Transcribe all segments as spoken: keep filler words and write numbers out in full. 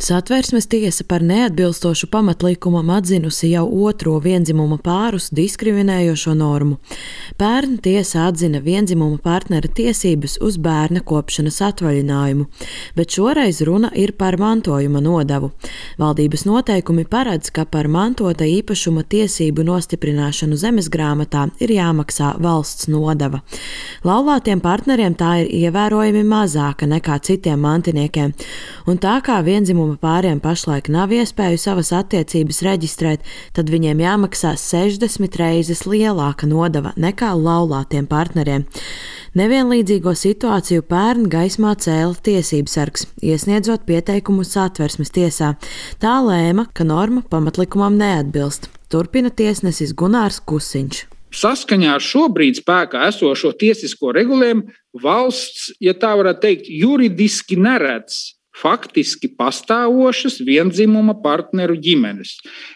Satversmes tiesa par neatbilstošu pamatlikumam atzinusi jau otro vienzimuma pārus diskriminējošo normu. Pērn tiesa atzina vienzimuma partnera tiesības uz bērna kopšanas atvaļinājumu, bet šoreiz runa ir par mantojuma nodevu. Valdības noteikumi paredz, ka par mantota īpašuma tiesību nostiprināšanu zemesgrāmatā ir jāmaksā valsts nodeva. Laulātiem partneriem tā ir ievērojami mazāka nekā citiem mantiniekiem, un tā kā vienzimuma pāriem pašlaik nav iespēju savas attiecības reģistrēt, tad viņiem jāmaksā sešdesmit reizes lielāka nodeva nekā laulātiem partneriem. Nevienlīdzīgo situāciju pērn gaismā cēla tiesībsargs, iesniedzot pieteikumu Satversmes tiesā. Tā lēma, ka norma pamatlikumam neatbilst. Turpina tiesnesis Gunārs Kusiņš. Saskaņā ar šobrīd spēkā esošo tiesisko regulējumu valsts, ja tā varētu teikt, juridiski neredz faktiski pastāvošas vienzimuma partneru ģimenes,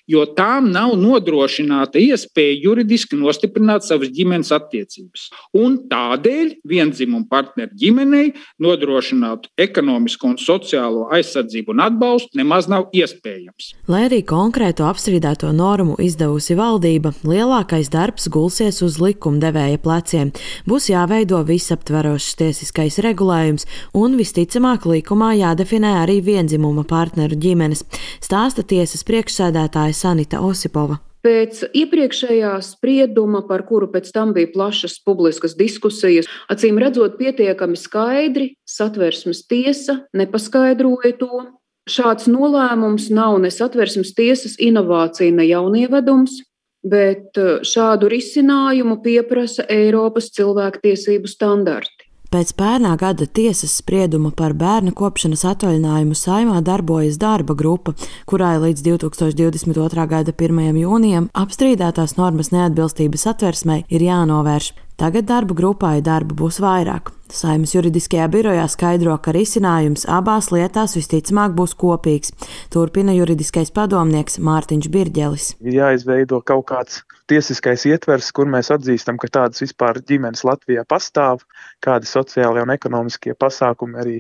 jo tām nav nodrošināta iespēja juridiski nostiprināt savas ģimenes attiecības. Un tādēļ vienzimuma partneru ģimenei nodrošināt ekonomisko un sociālo aizsardzību un atbalstu nemaz nav iespējams. Lai arī konkrēto apstrīdēto normu izdevusi valdība, lielākais darbs gulsies uz likumdevēja pleciem. Būs jāveido visaptverošs tiesiskais regulējums un visticamāk likumā jādefinē definē arī vienzimuma partneru ģimenes, stāsta tiesas priekšsēdētāja Sanita Osipova. Pēc iepriekšējā sprieduma, par kuru pēc tam bija plašas publiskas diskusijas, acīm redzot pietiekami skaidri, Satversmes tiesa nepaskaidroja to. Šāds nolēmums nav ne Satversmes tiesas inovācija, ne jaunievedums, bet šādu risinājumu pieprasa Eiropas cilvēktiesību standarti. Pēc pērnā gada tiesas sprieduma par bērna kopšanas atvaļinājumu Saeimā darbojas darba grupa, kurai līdz divtūkstoš divdesmit otrā gada pirmajam jūnijam apstrīdētās normas neatbilstības Satversmei ir jānovērš. Tagad darba grupā darba būs vairāk. Saeimas juridiskajā birojā skaidro, ka risinājums abās lietās visticamāk būs kopīgs. Turpina juridiskais padomnieks Mārtiņš Birģelis. Ir jāizveido kaut kāds tiesiskais ietvers, kur mēs atzīstam, ka tādas vispār ģimenes Latvijā pastāv, kādi sociālie un ekonomiskie pasākumi arī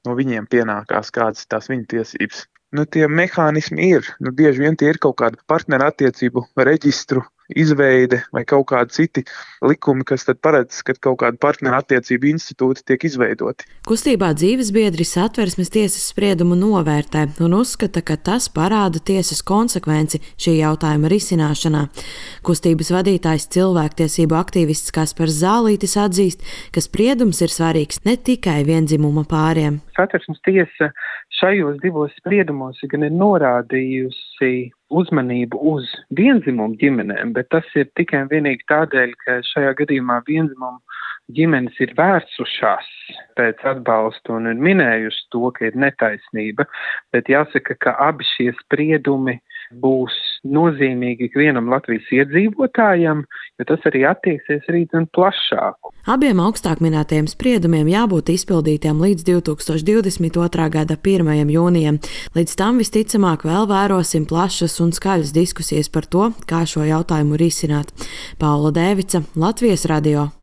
no viņiem pienākās, kādas tās viņu tiesības. Nu, tie mehānismi ir, nu, bieži vien tie ir kaut kāda partnerattiecību reģistru izveide vai kaut kādi citi likumi, kas tad paredz, ka kaut kāda partnerattiecību institūti tiek izveidoti. Kustībā dzīvesbiedri Satversmes tiesas spriedumu novērtē un uzskata, ka tas parāda tiesas konsekvenci šī jautājuma risināšanā. Kustības vadītājs cilvēktiesību aktīvists Kaspars Zālītis atzīst, ka spriedums ir svarīgs ne tikai vienzimuma pāriem. Satversmes tiesa šajos divos spriedumos gan ir norādījusi uzmanību uz vienzimumu ģimenēm, bet tas ir tikai un vienīgi tādēļ, ka šajā gadījumā vienzimumu ģimenes ir vērsušās pēc atbalsta un ir minējusi to, ka ir netaisnība, bet jāsaka, ka abi šie spriedumi būs nozīmīgi ikvienam Latvijas iedzīvotājam, jo tas arī attieksies arī gan plašāku. Abiem augstāk minētajiem spriedumiem jābūt izpildītiem līdz divtūkstoš divdesmit otrā gada pirmajam jūnijam. Līdz tam visticamāk vēl vērosim plašas un skaļas diskusijas par to, kā šo jautājumu risināt. Paula Dēvica, Latvijas radio.